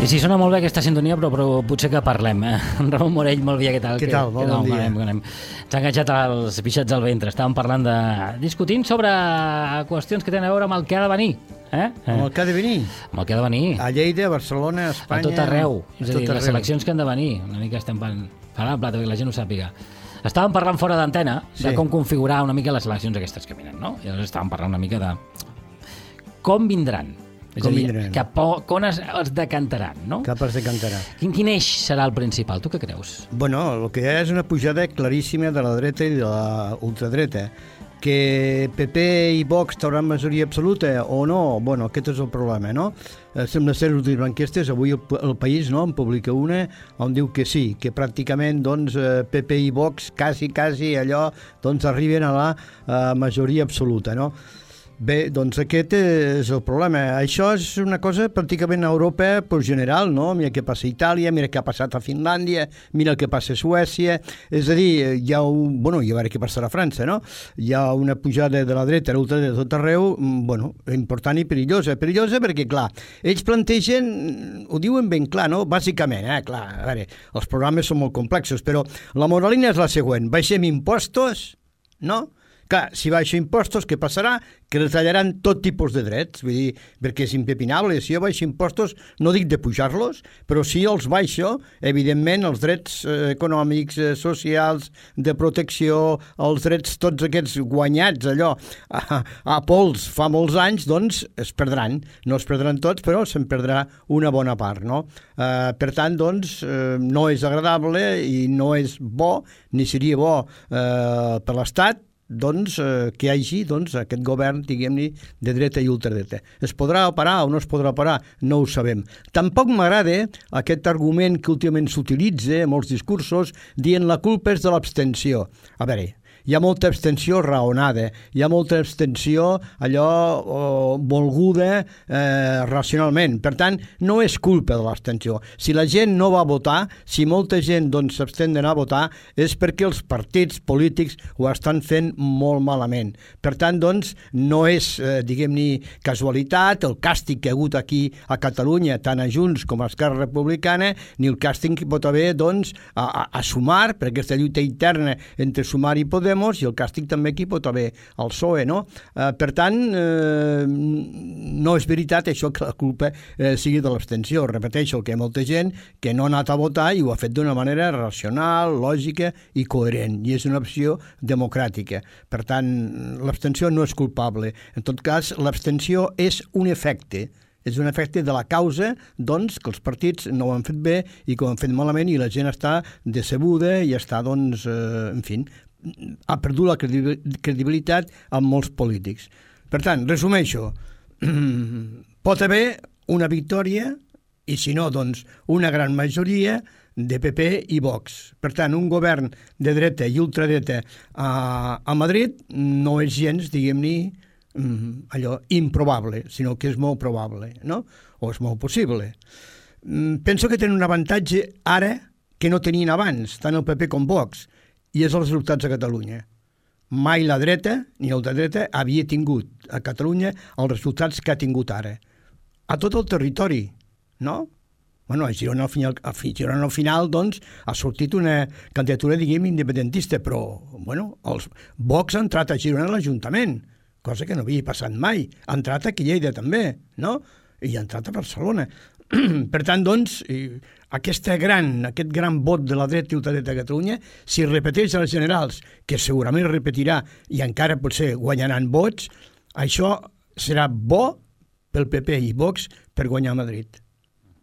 I sí, sona molt bé aquesta sintonia, però potser que parlem. Ramon Morell, molt bé, què tal? Què tal? Bon dia. S'ha enganxat els pixats al ventre. Estàvem parlant discutint sobre qüestions que tenen a veure amb el que ha de venir. Amb el que ha de venir? Amb el que ha de venir. A Lleida, a Barcelona, a Espanya... A tot arreu. És a dir, les eleccions que han de venir. Una mica estem parlant la plata, perquè la gent ho sàpiga. Estàvem parlant fora d'antena de com configurar una mica les eleccions aquestes que venen, no? I llavors estàvem parlant una mica de com vindran. És a dir, on es decantaran, no? Cap es decantarà. Quin eix serà el principal? Tu què creus? Bueno, el que hi ha és una pujada claríssima de la dreta i de la ultradreta. Que PP i Vox tauran majoria absoluta o no? Bueno, aquest és el problema, no? Sembla ser últimes enquestes, avui el País no en publica una on diu que sí, que pràcticament doncs, PP i Vox quasi allò doncs, arriben a la majoria absoluta, no? Bé, doncs aquest és el problema. Això és una cosa pràcticament a Europa general, no? Mira què passa a Itàlia, mira què ha passat a Finlàndia, mira el que passa a Suècia. És a dir, hi ha Bueno, i a veure què passarà a França, no? Hi ha una pujada de la dreta a l'ultradreta de tot arreu, bueno, important i perillosa. Perillosa perquè, clar, ells plantegen, ho diuen ben clar, no? Bàsicament, clar, a veure, els programes són molt complexos, però la moralina és la següent. Baixem impostos, no? Clar, si baixo impostos, què passarà? Que retallaran tot tipus de drets, vull dir, perquè és impepinable. Si jo baixo impostos, no dic de pujar-los, però si els baixo, evidentment, els drets econòmics, socials, de protecció, els drets tots aquests guanyats, allò, a pols fa molts anys, doncs es perdran. No es perdran tots, però se'n perdrà una bona part, no? Per tant, doncs, no és agradable i no és bo, ni seria bo per l'Estat, doncs, que hi hagi aquest govern, diguem-ne, de dreta i ultradreta. Es podrà parar o no es podrà parar? No ho sabem. Tampoc m'agrada aquest argument que últimament s'utilitza en molts discursos dient la culpa és de l'abstenció. A veure, hi ha molta abstenció raonada, hi ha molta abstenció allò volguda racionalment. Per tant, no és culpa de l'abstenció. Si la gent no va votar, si molta gent s'abstén d'anar a votar, és perquè els partits polítics ho estan fent molt malament. Per tant, no és, diguem-ne, casualitat, el càstig que ha hagut aquí a Catalunya, tant a Junts com a Esquerra Republicana, ni el càstig que pot haver, a Sumar, per aquesta lluita interna entre Sumar i Podem, i el càstig també aquí pot haver el PSOE, no? Per tant, no és veritat això que la culpa sigui de l'abstenció. Repeteixo que hi ha molta gent que no ha anat a votar i ho ha fet d'una manera racional, lògica i coherent, i és una opció democràtica. Per tant, l'abstenció no és culpable. En tot cas, l'abstenció és un efecte. És un efecte de la causa, que els partits no ho han fet bé i que ho han fet malament i la gent està decebuda i està, en fi, ha perdut la credibilitat amb molts polítics. Per tant, resumeixo, pot haver una victòria i si no, una gran majoria de PP i Vox. Per tant, un govern de dreta i ultradreta a Madrid no és gens, diguem-ne, allò improbable, sinó que és molt probable, no? O és molt possible. Penso que tenen un avantatge ara que no tenien abans, tant el PP com Vox, i és els resultats a Catalunya. Mai la dreta ni l'ultradreta havia tingut a Catalunya els resultats que ha tingut ara. A tot el territori, no? Bueno, a Girona al final, ha sortit una candidatura, diguem, independentista, però, bueno, els Vox ha entrat a Girona a l'Ajuntament, cosa que no havia passat mai. Ha entrat aquí a Lleida també, no? I ha entrat a Barcelona. Per tant, aquest gran vot de la dreta i ultradreta a Catalunya, si repeteix a les generals, que segurament repetirà i encara potser guanyaran vots, això serà bo pel PP i Vox per guanyar Madrid,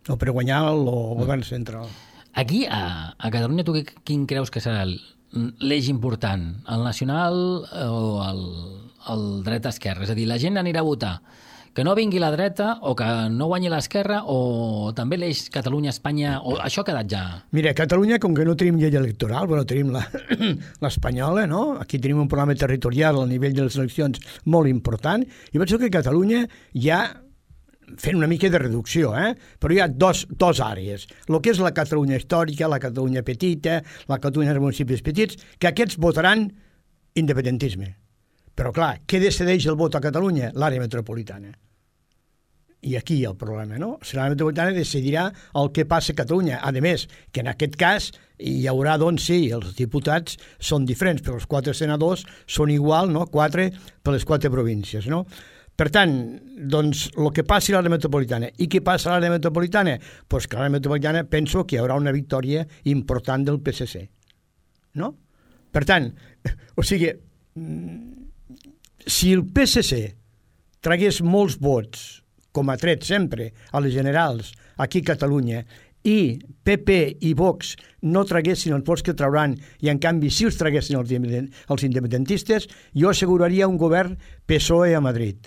o per guanyar el govern central. Aquí, a Catalunya, tu quin creus que serà l'eix important? El nacional o el dreta-esquerra? És a dir, la gent anirà a votar que no vingui la dreta o que no guanyi l'esquerra o també l'eix Catalunya-Espanya, o això ha quedat ja? Mira, a Catalunya, com que no tenim llei electoral, bueno, tenim l'espanyola, no? Aquí tenim un programa territorial al nivell de les eleccions molt important, i penso que a Catalunya hi ha, fent una mica de reducció, però hi ha dos àrees. El que és la Catalunya històrica, la Catalunya petita, la Catalunya dels municipis petits, que aquests votaran independentisme. Però, clar, què decideix el vot a Catalunya? L'àrea metropolitana. I aquí hi ha el problema, no? Si l'àrea metropolitana decidirà el que passa a Catalunya. A més, que en aquest cas hi haurà, doncs, sí, els diputats són diferents, però els 4 senadors són igual, no? 4 per les 4 províncies, no? Per tant, doncs, el que passi a l'àrea metropolitana. I què passa a l'àrea metropolitana? Doncs que a l'àrea metropolitana penso que hi haurà una victòria important del PSC, no? Per tant, o sigui, si el PSC tragués molts vots, com ha tret sempre a les generals aquí a Catalunya, i PP i Vox no traguessin els vots que trauran i en canvi si els traguessin els independentistes, jo asseguraria un govern PSOE a Madrid.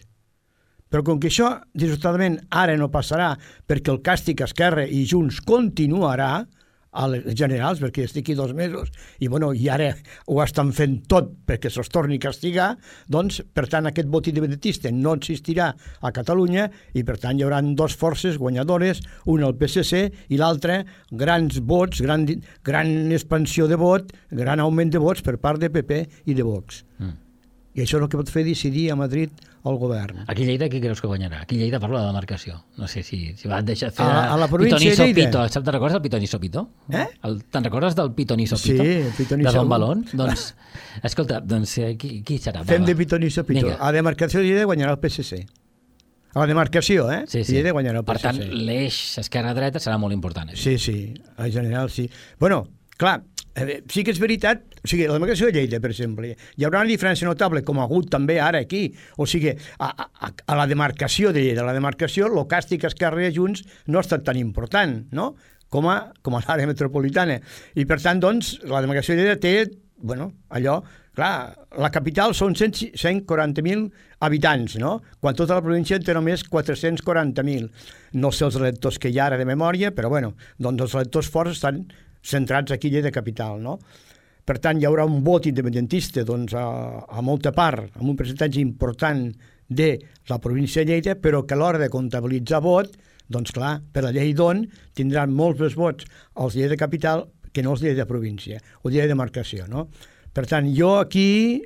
Però com que això, dissortadament, ara no passarà perquè el càstig a Esquerra i Junts continuarà a les generals, perquè estic aquí 2 mesos i, bueno, i ara ho estan fent tot perquè se'ls torni a castigar, doncs, per tant, aquest vot independentista no existirà a Catalunya i, per tant, hi haurà 2 forces guanyadores, una el PSC i l'altra grans vots, gran expansió de vot, gran augment de vots per part de PP i de Vox. I això és el que pot fer decidir a Madrid el govern. Aquí a Lleida qui creus que guanyarà? Aquí a Lleida parlo de demarcació. No sé si va deixar fer a la província de Lleida. Te'n recordes del Pitonisso Pito? Te'n recordes del Pitonisso Sí, Pito? Pitonisso. De Don Balón? Doncs, escolta, doncs, qui serà? Fem de Pitonisso Pito. A la demarcació de Lleida guanyarà el PSC. A la demarcació, Sí. Lleida guanyarà el PSC. Per tant, l'eix esquerra-dreta serà molt important. Sí, en general sí. Bueno, clar, sí que és veritat, o sigui, la demarcació de Lleida, per exemple, hi haurà una diferència notable, com ha hagut també ara aquí, o sigui, a la demarcació de Lleida, a la demarcació, el càstig Esquerra i Junts no ha estat tan important, no?, com a l'àrea metropolitana. I, per tant, doncs, la demarcació de Lleida té, bueno, allò, clar, la capital són 140.000 habitants, no?, quan tota la província té només 440.000. No sé els electors que hi ha ara de memòria, però, bueno, doncs els electors forts estan centrats aquí a Lleida capital, no? Per tant, hi haurà un vot independentista doncs, a molta part, amb un percentatge important de la província de Lleida, però que a l'hora de comptabilitzar vot, doncs clar, per la llei d'on tindran molts més vots els Lleida capital que no els Lleida província, o Lleida demarcació, no? Per tant, jo aquí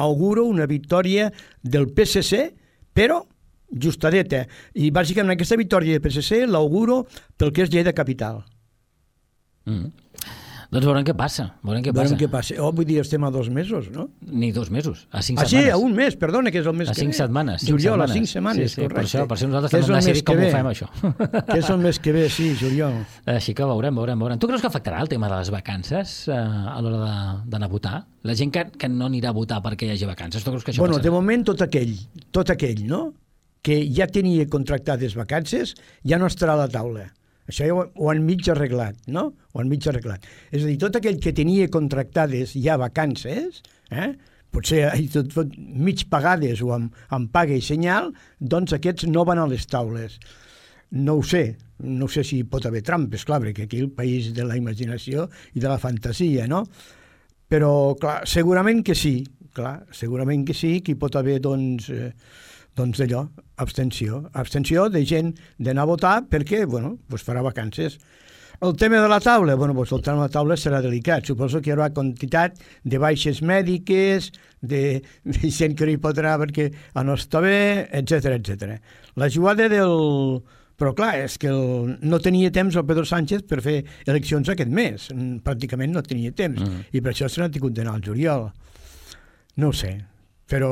auguro una victòria del PSC, però justadeta. I bàsicament aquesta victòria del PSC l'auguro pel que és Lleida capital. Doncs veurem què passa. Veurem què passa. Vull dir, estem a 2 mesos, no? Ni 2 mesos, a 5 setmanes. A un mes, perdona, que és el mes que ve. A 5 setmanes. Juliol, a 5 setmanes, correcte. Per això nosaltres hem decidit com ho fem, això. Que és el mes que ve, sí, juliol. Així que veurem. Tu creus que afectarà el tema de les vacances a l'hora d'anar a votar? La gent que no anirà a votar perquè hi hagi vacances, tu creus que això passarà? De moment tot aquell, no?, que ja tenia contractades vacances, ja no estarà a la taula. Això ja ho han mig arreglat, no? És a dir, tot aquell que tenia contractades ja vacances, potser mig pagades o amb paga i senyal, doncs aquests no van a les taules. No ho sé si pot haver trampes, clar, perquè aquí el país de la imaginació i de la fantasia, no? Però, clar, segurament que sí, que hi pot haver, doncs allò, abstenció de gent d'anar a votar perquè, farà vacances. El tema de la taula, el tema de la taula serà delicat. Suposo que hi haurà quantitat de baixes mèdiques, de gent que no hi pot anar perquè no està bé, etc. La jugada del... Però clar, és que no tenia temps el Pedro Sánchez per fer eleccions aquest mes. Pràcticament no tenia temps. I per això se n'ha tingut d'anar al juliol. No ho sé. Però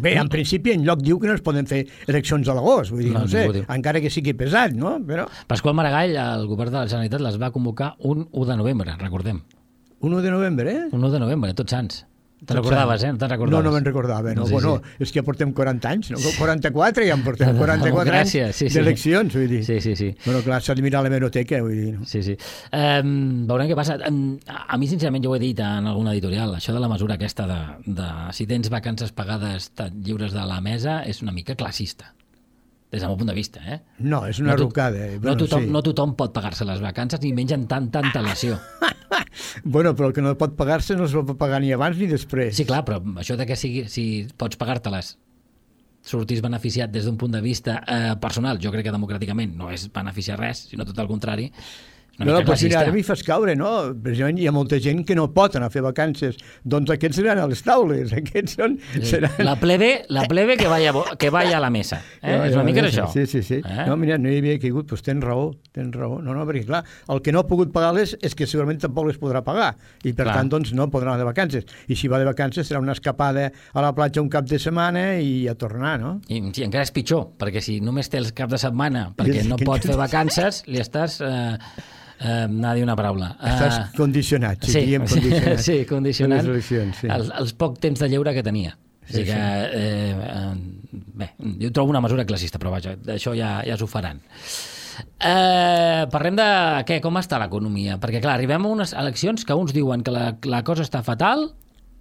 bé, en principi en lloc diu que no es poden fer eleccions a l'agost, vull dir, no sé, encara que sigui pesat, no? Però... Pasqual Maragall, el govern de la Generalitat, les va convocar un 1 de novembre, recordem. 1 de novembre, Un 1 de novembre, Tots Sants. Te'n recordaves, No te'n recordaves? No me'n recordava, no. Bueno, és que ja portem 40 anys, no? 44, ja en portem 44 anys d'eleccions, vull dir. Sí. Bueno, clar, s'ha de mirar la hemeroteca, vull dir. No? Sí. Veurem què passa. A mi, sincerament, jo ho he dit en alguna editorial, això de la mesura aquesta de si tens vacances pagades lliures de la mesa és una mica classista. Des del meu punt de vista, No, és una rucada. No tothom pot pagar-se les vacances ni menys en tanta antelació. Però el que no pot pagar-se no es pot pagar ni abans ni després. Sí, clar, però això de que si pots pagar-te-les sortís beneficiat des d'un punt de vista personal, jo crec que democràticament no és beneficiar res, sinó tot el contrari, és No, però mira, ara m'hi fas caure, no? Precisament hi ha molta gent que no pot anar a fer vacances. Doncs aquests seran a les taules, aquests són... Seran... La plebe que vaya a la mesa. És una mica això. Sí. No, mira, no hi havia caigut, doncs tens raó. No, perquè clar, el que no ha pogut pagar-les és que segurament tampoc les podrà pagar, i per tant, doncs, no podrà anar de vacances. I si va de vacances serà una escapada a la platja un cap de setmana i a tornar, no? I sí, encara és pitjor, perquè si només té els caps de setmana perquè no pot fer vacances, li estàs... anar a dir una paraula. Estàs condicionat, condicionat. Sí, condicionant sí. els poc temps de lleure que tenia. Així que, bé, jo trobo una mesura classista, però vaja, d'això ja s'ho faran. Parlem de com està l'economia, perquè clar, arribem a unes eleccions que uns diuen que la cosa està fatal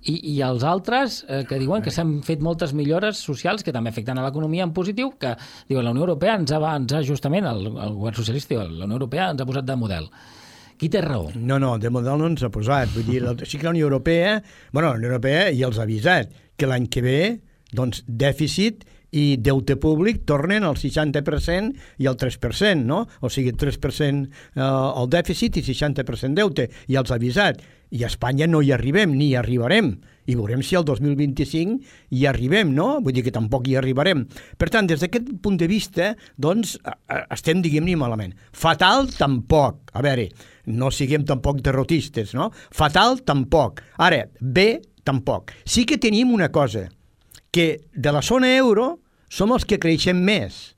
i els altres que diuen que s'han fet moltes millores socials que també afecten a l'economia en positiu, que diuen la Unió Europea ens ha justament, el govern socialista, la Unió Europea ens ha posat de model. Qui té raó? No, de model no ens ha posat. Vull dir, sí que la Unió Europea, la Unió Europea ja els ha avisat que l'any que ve, doncs, dèficit i deute públic tornen al 60% i al 3%, no? O sigui, 3% el dèficit i 60% deute. I els ha avisat. I a Espanya no hi arribem, ni hi arribarem. I veurem si el 2025 hi arribem, no? Vull dir que tampoc hi arribarem. Per tant, des d'aquest punt de vista, doncs, estem, diguem-ne, malament. Fatal, tampoc. A veure, no siguem tampoc derrotistes, no? Fatal, tampoc. Ara, bé, tampoc. Sí que tenim una cosa, que de la zona euro som els que creixem més,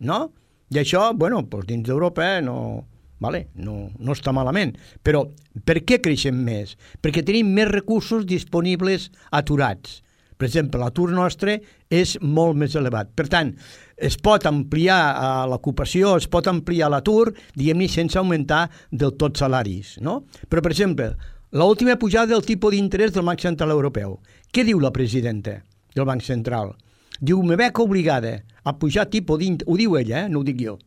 no? I això, bueno, doncs dins d'Europa no està malament. Però per què creixem més? Perquè tenim més recursos disponibles aturats. Per exemple, l'atur nostre és molt més elevat. Per tant, es pot ampliar l'ocupació, es pot ampliar l'atur, diguem-ne, sense augmentar del tot salaris, no? Però, per exemple, l'última pujada del tipus d'interès del Banc Central Europeu. Què diu la presidenta del Banc Central? Diu, me veig obligada a pujar tipus d'interès, ho diu ella, no ho dic jo,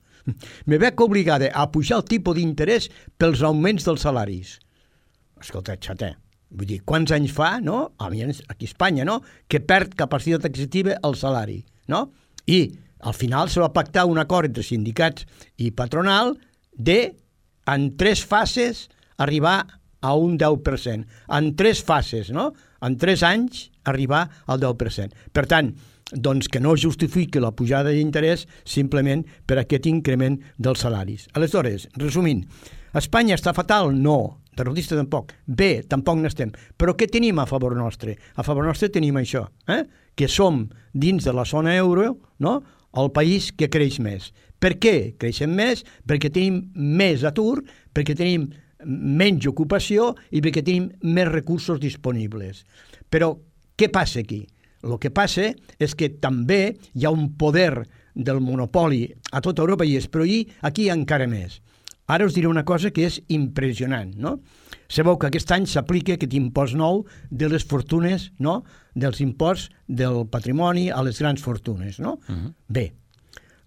me veig obligada a pujar el tipus d'interès pels augments dels salaris. Escolta, xata, vull dir, quants anys fa, no? Aquí a Espanya, no? Que perd capacitat adquisitiva el salari, no? I al final se va pactar un acord entre sindicats i patronal en 3 fases, arribar a un 10%. En 3 fases, no? En 3 anys, arribar al 10%. Per tant, doncs que no justifiqui la pujada d'interès simplement per aquest increment dels salaris. Aleshores, resumint, Espanya està fatal? No. Derrotista tampoc. Bé, tampoc n'estem. Però què tenim a favor nostre? A favor nostre tenim això, que som dins de la zona euro, no?, el país que creix més. Per què creixem més? Perquè tenim més atur, perquè tenim menys ocupació i perquè tenim més recursos disponibles. Però què passa aquí? El que passa és que també hi ha un poder del monopoli a tota Europa i és, però aquí encara més. Ara us diré una cosa que és impressionant, no? Sabeu que aquest any s'aplica aquest impost nou de les fortunes, no?, dels imposts del patrimoni a les grans fortunes, no? Bé,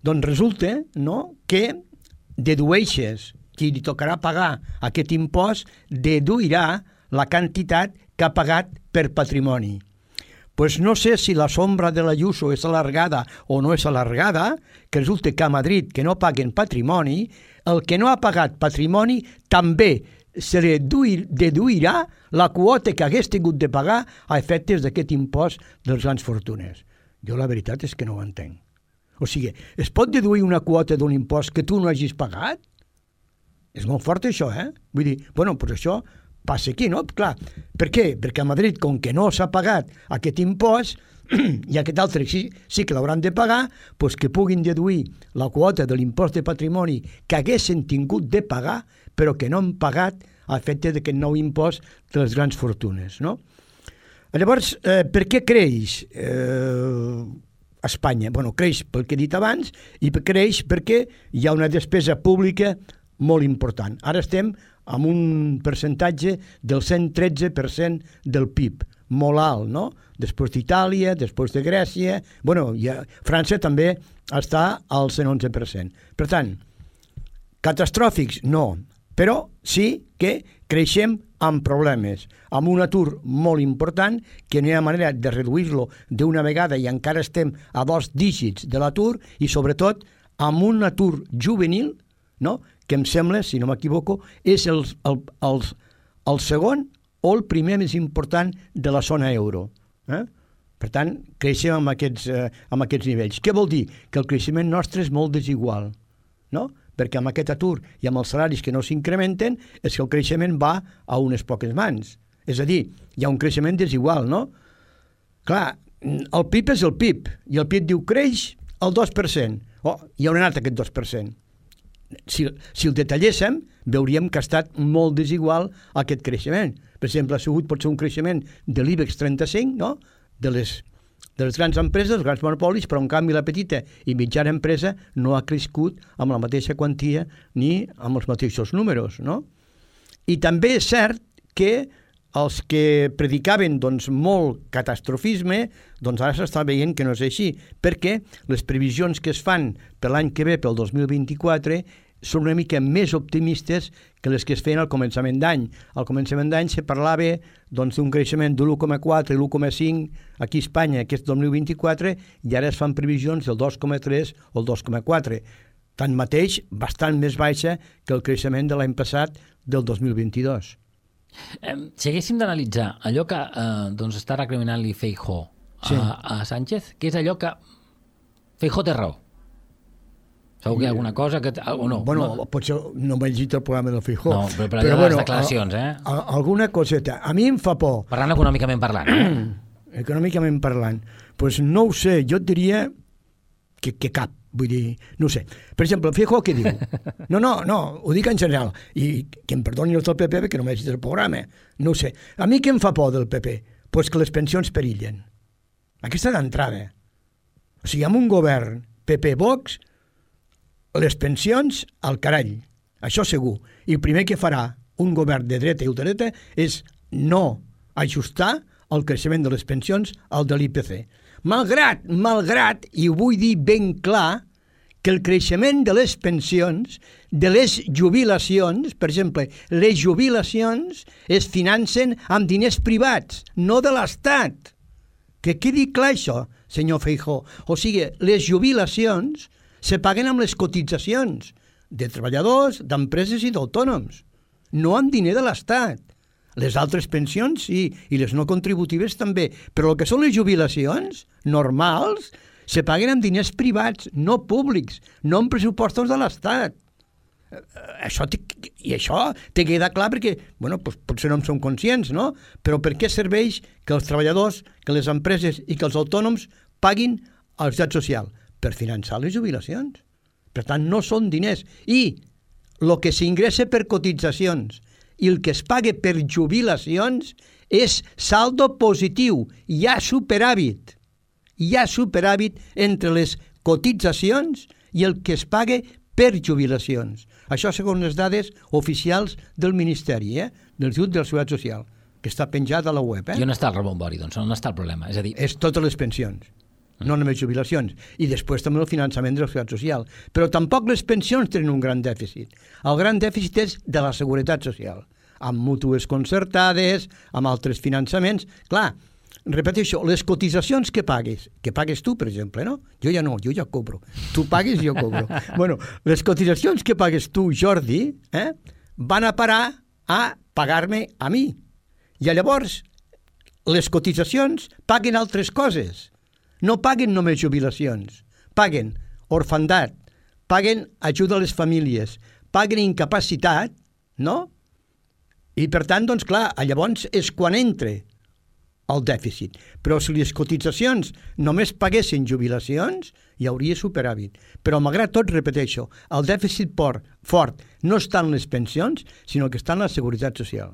doncs resulta, no?, que dedueixes, qui li tocarà pagar aquest impost, deduirà la quantitat que ha pagat per patrimoni. Pues no sé si la sombra de l'Ayuso és alargada o no és alargada, que resulta que a Madrid, que no paguen patrimoni, el que no ha pagat patrimoni també se li deduirà la quota que hagués tingut de pagar a efectes d'aquest impost de les grans fortunes. Jo la veritat és que no ho entenc. O sigui, es pot deduir una quota d'un impost que tu no hagis pagat? És molt fort això, Vull dir, bueno, doncs això passa aquí, no? Clar, per què? Perquè a Madrid, com que no s'ha pagat aquest impost, i aquest altre sí que l'hauran de pagar, doncs que puguin deduir la quota de l'impost de patrimoni que haguessin tingut de pagar, però que no han pagat a efecte d'aquest nou impost de les grans fortunes, no? Llavors, per què creix Espanya? Bueno, creix pel que he dit abans i creix perquè hi ha una despesa pública molt important. Ara estem amb un percentatge del 113% del PIB, molt alt, no? Després d'Itàlia, després de Grècia, bueno, França també està al 111%. Per tant, catastròfics, no, però sí que creixem amb problemes, amb un atur molt important, que no hi ha manera de reduir-lo d'una vegada i encara estem a 2 dígits de l'atur, i sobretot amb un atur juvenil, no?, que em sembla, si no m'equivoco, és el segon o el primer més important de la zona euro. Per tant, creixem amb aquests nivells. Què vol dir? Que el creixement nostre és molt desigual, no? Perquè amb aquest atur i amb els salaris que no s'incrementen és que el creixement va a unes poques mans. És a dir, hi ha un creixement desigual, no? Clar, el PIB és el PIB, i el PIB diu creix el 2%. I on ha anat aquest 2%? Si el detalléssim, veuríem que ha estat molt desigual aquest creixement. Per exemple, ha sigut potser un creixement de l'IBEX 35, no?, de les grans empreses, dels grans monopolis, però en canvi la petita i mitjana empresa no ha crescut amb la mateixa quantia ni amb els mateixos números, no? I també és cert que els que predicaven molt catastrofisme, ara s'està veient que no és així, perquè les previsions que es fan per l'any que ve, pel 2024, són una mica més optimistes que les que es feien al començament d'any. Al començament d'any se parlava d'un creixement de l'1,4 i l'1,5 aquí a Espanya aquest 2024 i ara es fan previsions del 2,3 o el 2,4. Tanmateix, bastant més baixa que el creixement de l'any passat del 2022. Si haguéssim d'analitzar allò que està recriminant-li Feijóo a Sánchez, que és allò que Feijóo té raó. Segur que hi ha alguna cosa que... o no? Bueno, potser no m'he llegit el programa del Feijóo. No, però allò de les declaracions, alguna coseta. A mi em fa por. Parlant econòmicament parlant, Econòmicament parlant. Doncs no ho sé, jo et diria que cap. Vull dir, no ho sé. Per exemple, el Feijóo què diu? No, ho dic en general. I que em perdoni els del PP perquè no m'he llegit el programa. No ho sé. A mi què em fa por del PP? Doncs que les pensions perillen. Aquesta d'entrada. O sigui, amb un govern PP-Vox, les pensions al carall. Això segur. I el primer que farà un govern de dreta i ultradreta és no ajustar el creixement de les pensions al de l'IPC. Malgrat, i ho vull dir ben clar, que el creixement de les pensions, de les jubilacions, per exemple, les jubilacions es financen amb diners privats, no de l'Estat. Que quedi clar això, senyor Feijóo. O sigui, les jubilacions se paguen amb les cotitzacions de treballadors, d'empreses i d'autònoms, no amb diner de l'Estat. Les altres pensions sí, i les no contributives també, però el que són les jubilacions normals se paguen amb diners privats, no públics, no amb pressupostos de l'Estat. Això té que quedar clar perquè, potser no en som conscients, no? Però per què serveix que els treballadors, que les empreses i que els autònoms paguin a la Seguretat Social? Per finançar les jubilacions. Per tant, no són diners. I el que s'ingressa per cotitzacions i el que es paga per jubilacions és saldo positiu. Hi ha superàvit. Hi ha superàvit entre les cotitzacions i el que es paga per jubilacions. Això segons les dades oficials del Ministeri, del Institut de la Seguretat Social, que està penjat a la web. I on està el rebombori, doncs? On està el problema? És a dir... És totes les pensions. No només jubilacions, i després també el finançament de la Seguretat Social. Però tampoc les pensions tenen un gran dèficit. El gran dèficit és de la Seguretat Social, amb mútues concertades, amb altres finançaments. Clar, repeteixo, les cotitzacions que pagues tu, per exemple, no? Jo ja no, jo ja cobro. Tu pagues i jo cobro. Les cotitzacions que pagues tu, Jordi, van a parar a pagar-me a mi. I llavors, les cotitzacions paguen altres coses. No paguen només jubilacions, paguen orfandat, paguen ajuda a les famílies, paguen incapacitat, no? I per tant, doncs clar, llavors és quan entra el dèficit. Però si les cotitzacions només paguessin jubilacions, hi hauria superàvit. Però malgrat tot, repeteixo, el dèficit fort no està en les pensions, sinó que està en la Seguretat Social.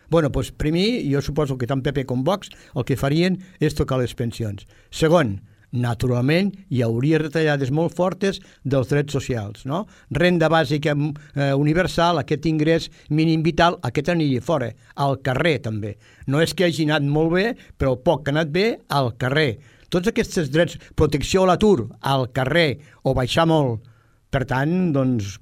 Doncs primer, jo suposo que tant PP com Vox el que farien és tocar les pensions. Segon, naturalment, hi hauria retallades molt fortes dels drets socials, no? Renda bàsica universal, aquest ingrés mínim vital, aquest aniria fora, al carrer també. No és que hagi anat molt bé, però el poc que ha anat bé, al carrer. Tots aquests drets, protecció a l'atur, al carrer, o baixar molt. Per tant, doncs,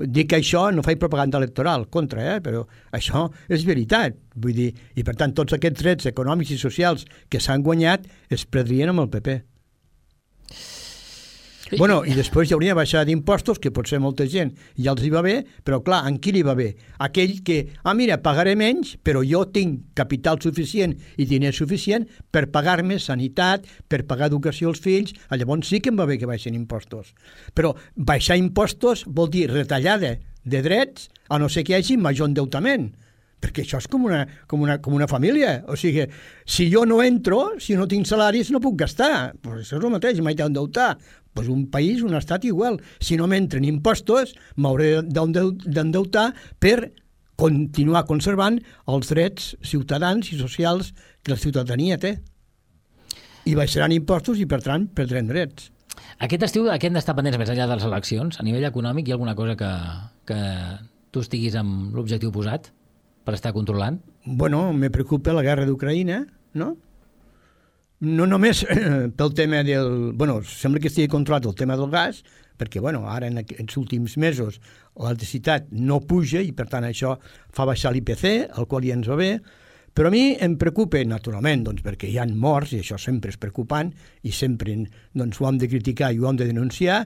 dic que això no faig propaganda electoral contra, però això és veritat. Vull dir, i per tant tots aquests drets econòmics i socials que s'han guanyat es perdrien amb el PP. Bueno, i després hi hauria baixada d'impostos, que potser molta gent ja els hi va bé, però clar, en qui li va bé? Aquell que, mira, pagaré menys, però jo tinc capital suficient i diners suficient per pagar-me sanitat, per pagar educació als fills, llavors sí que em va bé que baixin impostos. Però baixar impostos vol dir retallada de drets, a no ser que hi hagi major endeutament, perquè això és com una família. O sigui, si jo no entro, si no tinc salaris, no puc gastar. Pues això és el mateix, m'haig d'endeutar. Pues un país, un estat igual. Si no m'entren impostos, m'hauré d'endeutar per continuar conservant els drets ciutadans i socials que la ciutadania té. I baixaran impostos i, per tant, perdrem drets. Aquest estiu, a què hem d'estar pendents més enllà de les eleccions? A nivell econòmic, hi ha alguna cosa que tu estiguis amb l'objectiu posat per estar controlant? Bueno, me preocupa la guerra d'Ucraïna, no? No només pel tema del... Bueno, sembla que estigui controlat el tema del gas, perquè, bueno, ara en els últims mesos l'electricitat no puja i, per tant, això fa baixar l'IPC, el qual ja ens va bé, però a mi em preocupa, naturalment, doncs, perquè hi ha morts, i això sempre és preocupant, i sempre doncs, ho hem de criticar i ho hem de denunciar,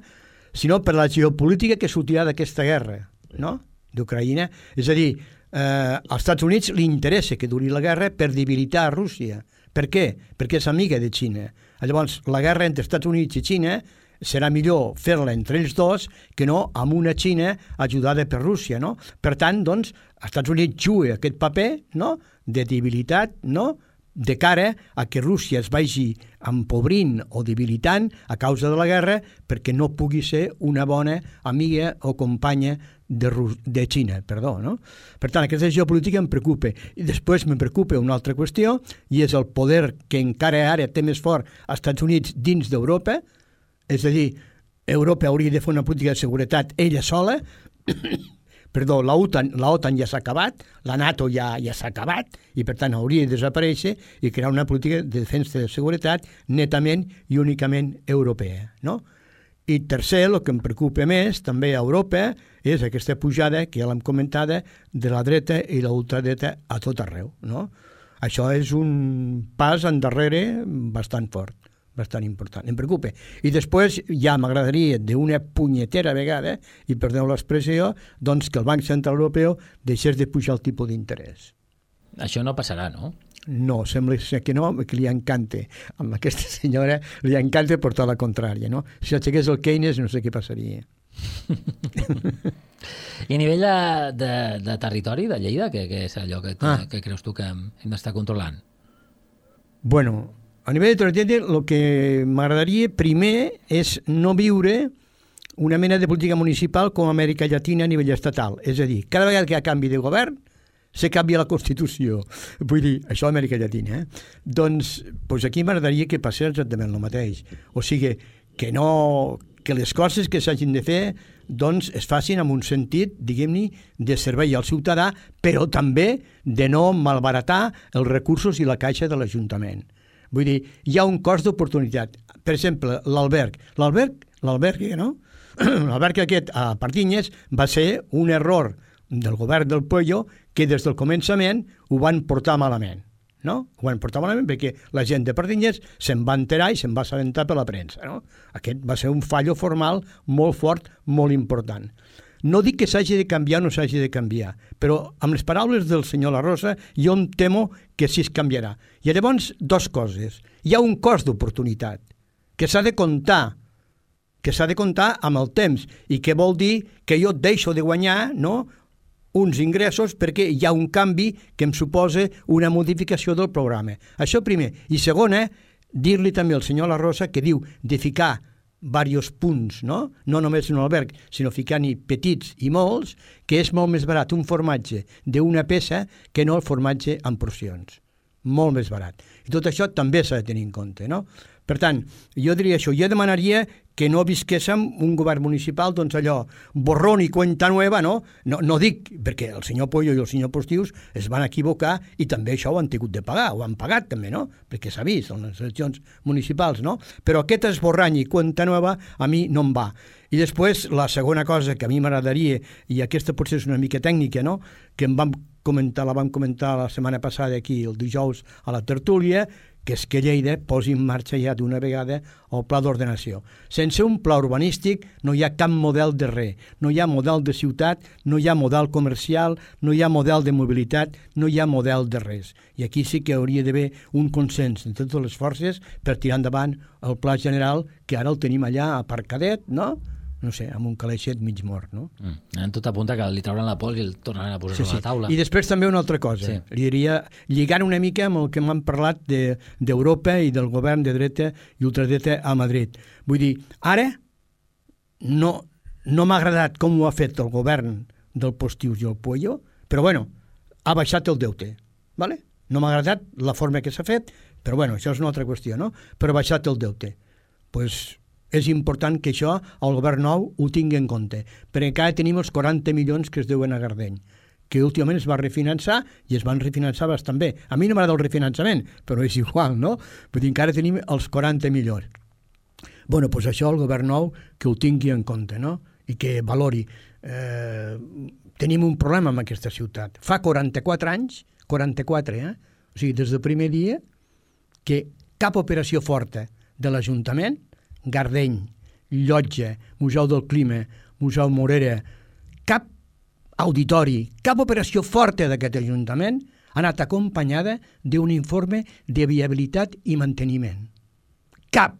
sinó per la geopolítica que sortirà d'aquesta guerra, no?, d'Ucraïna. És a dir, als Estats Units li interessa que duri la guerra per debilitar Rússia. Per què? Perquè és amiga de Xina. Llavors, la guerra entre Estats Units i Xina serà millor fer-la entre ells dos que no amb una Xina ajudada per Rússia, no? Per tant, doncs, els Estats Units juga aquest paper, no?, de debilitat, no?, de cara a que Rússia es vagi empobrint o debilitant a causa de la guerra perquè no pugui ser una bona amiga o companya de Xina, no? Per tant, aquesta geopolítica em preocupa. I després me preocupa una altra qüestió, i és el poder que encara ara té més fort als Estats Units dins d'Europa, és a dir, Europa hauria de fer una política de seguretat ella sola. Perdó, la OTAN ja s'ha acabat, la NATO ja s'ha acabat, i per tant hauria de desaparèixer i crear una política de defensa de seguretat netament i únicament europea, no? I tercer, el que em preocupa més, també a Europa, és aquesta pujada, que ja l'hem comentada, de la dreta i la ultradreta a tot arreu, no? Això és un pas endarrere bastant fort, bastant important. Em preocupa. I després ja m'agradaria d'una punyetera vegada, i perdoneu l'expressió, doncs que el Banc Central Europeu deixés de pujar el tipus d'interès. Això no passarà, no? No, sembla que no, que li encanta. Amb aquesta senyora li encanta portar la contrària, no? Si aixequés el Keynes no sé què passaria. I a nivell de territori, de Lleida, què és allò que creus tu que hem d'estar controlant? Bueno, a nivell de territori, el que m'agradaria primer és no viure una mena de política municipal com a Amèrica Llatina a nivell estatal. És a dir, cada vegada que hi ha canvi de govern, se canvia la Constitució. Vull dir, això a Amèrica Llatina. Doncs aquí m'agradaria que passés exactament el mateix. O sigui, que les coses que s'hagin de fer doncs es facin amb un sentit, diguem-ne, de servei al ciutadà, però també de no malbaratar els recursos i la caixa de l'Ajuntament. Vull dir, hi ha un cost d'oportunitat. Per exemple, l'alberg. L'alberg, no? L'alberg aquest a Pardinyes va ser un error del govern del Puello que des del començament ho van portar malament. No? Ho van portar malament perquè la gent de Pardinyes se'n va enterar i se'n va assabentar per la premsa. No? Aquest va ser un fallo formal molt fort, molt important. No dic que s'hagi de canviar o no s'hagi de canviar, però amb les paraules del senyor La Rosa jo em temo que sí es canviarà. I llavors, dues coses. Hi ha un cost d'oportunitat que s'ha de comptar amb el temps i que vol dir que jo deixo de guanyar, no?, uns ingressos perquè hi ha un canvi que em suposa una modificació del programa. Això primer. I segona, dir-li també al senyor La Rosa que diu de ficar diversos punts, no només un alberg, sinó ficar-hi petits i molts, que és molt més barat un formatge d'una peça que no el formatge en porcions. Molt més barat. I tot això també s'ha de tenir en compte, no? Per tant, jo diria això. Jo demanaria que no visquéssim un govern municipal, doncs allò, borrón i cuenta nueva, no? No dic, perquè el senyor Puello i el senyor Postius es van equivocar i també això ho han tingut de pagar, ho han pagat també, no? Perquè s'ha vist en les eleccions municipals, no? Però aquest esborrany i cuenta nueva a mi no em va. I després, la segona cosa que a mi m'agradaria, i aquesta potser és una mica tècnica, no?, que la vam comentar la setmana passada aquí, el dijous, a la tertúlia, que és que Lleida posi en marxa ja d'una vegada el pla d'ordenació. Sense un pla urbanístic no hi ha cap model de res, no hi ha model de ciutat, no hi ha model comercial, no hi ha model de mobilitat, no hi ha model de res. I aquí sí que hauria d'haver un consens de totes les forces per tirar endavant el pla general, que ara el tenim allà aparcadet, no? No sé, amb un calaixet mig mort, no? En tot apunta que li trauran la pols i el tornaran a posar sobre la taula. I després també una altra cosa. Sí. Li diria, lligant una mica amb el que m'han parlat d'Europa i del govern de dreta i ultradreta a Madrid. Vull dir, ara no m'ha agradat com ho ha fet el govern del Postius i el Puello, però bueno, ha baixat el deute, ¿vale? No m'ha agradat la forma que s'ha fet, però bueno, això és una altra qüestió, no? Però ha baixat el deute. Pues és important que això el govern nou ho tingui en compte, perquè encara tenim els 40 milions que es deuen a Gardeny, que últimament es va refinançar i es van refinançar bastant bé. A mi no m'agrada el refinançament, però és igual, no? Però encara tenim els 40 milions. Bueno, doncs això el govern nou que ho tingui en compte, no? I que valori. Tenim un problema amb aquesta ciutat. Fa 44 anys, 44, o sigui, des del primer dia, que cap operació forta de l'Ajuntament, Gardeny, Llotja, Museu del Clima, Museu Morera, cap auditori, cap operació forta d'aquest Ajuntament ha anat acompanyada d'un informe de viabilitat i manteniment. Cap!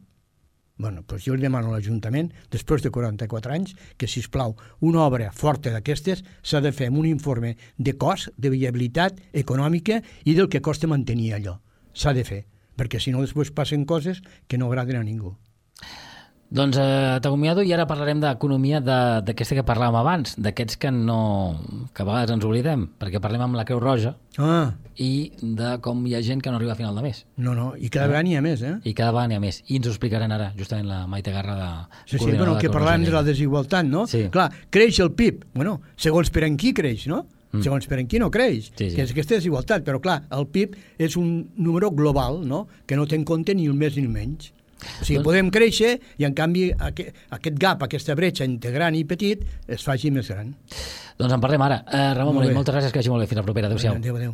Bueno, doncs jo li demano a l'Ajuntament, després de 44 anys, que, sisplau, una obra forta d'aquestes s'ha de fer amb un informe de cost, de viabilitat econòmica i del que costa mantenir allò. S'ha de fer, perquè si no després passen coses que no agraden a ningú. Doncs t'acomiado i ara parlarem d'economia d'aquesta que parlàvem abans, d'aquests que a vegades ens oblidem, perquè parlem amb la Creu Roja i de com hi ha gent que no arriba a final de mes. No, i cada vegada n'hi ha més, I cada vegada n'hi ha més. I ens ho explicaran ara, justament la Maite Garra de coordinadora de que parlàvem de la desigualtat, no? Sí. Clar, creix el PIB. Bueno, segons per en qui creix, no? Segons per en qui no creix, sí. Que és aquesta desigualtat. Però clar, el PIB és un número global, no? Que no té en compte ni el més ni el menys. O sigui, podem créixer i, en canvi, aquest gap, aquesta bretxa entre gran i petit, es faci més gran. Doncs en parlem ara. Ramon Morell, moltes gràcies, que vagi molt bé. Fins la propera. Adéu-siau. Adéu.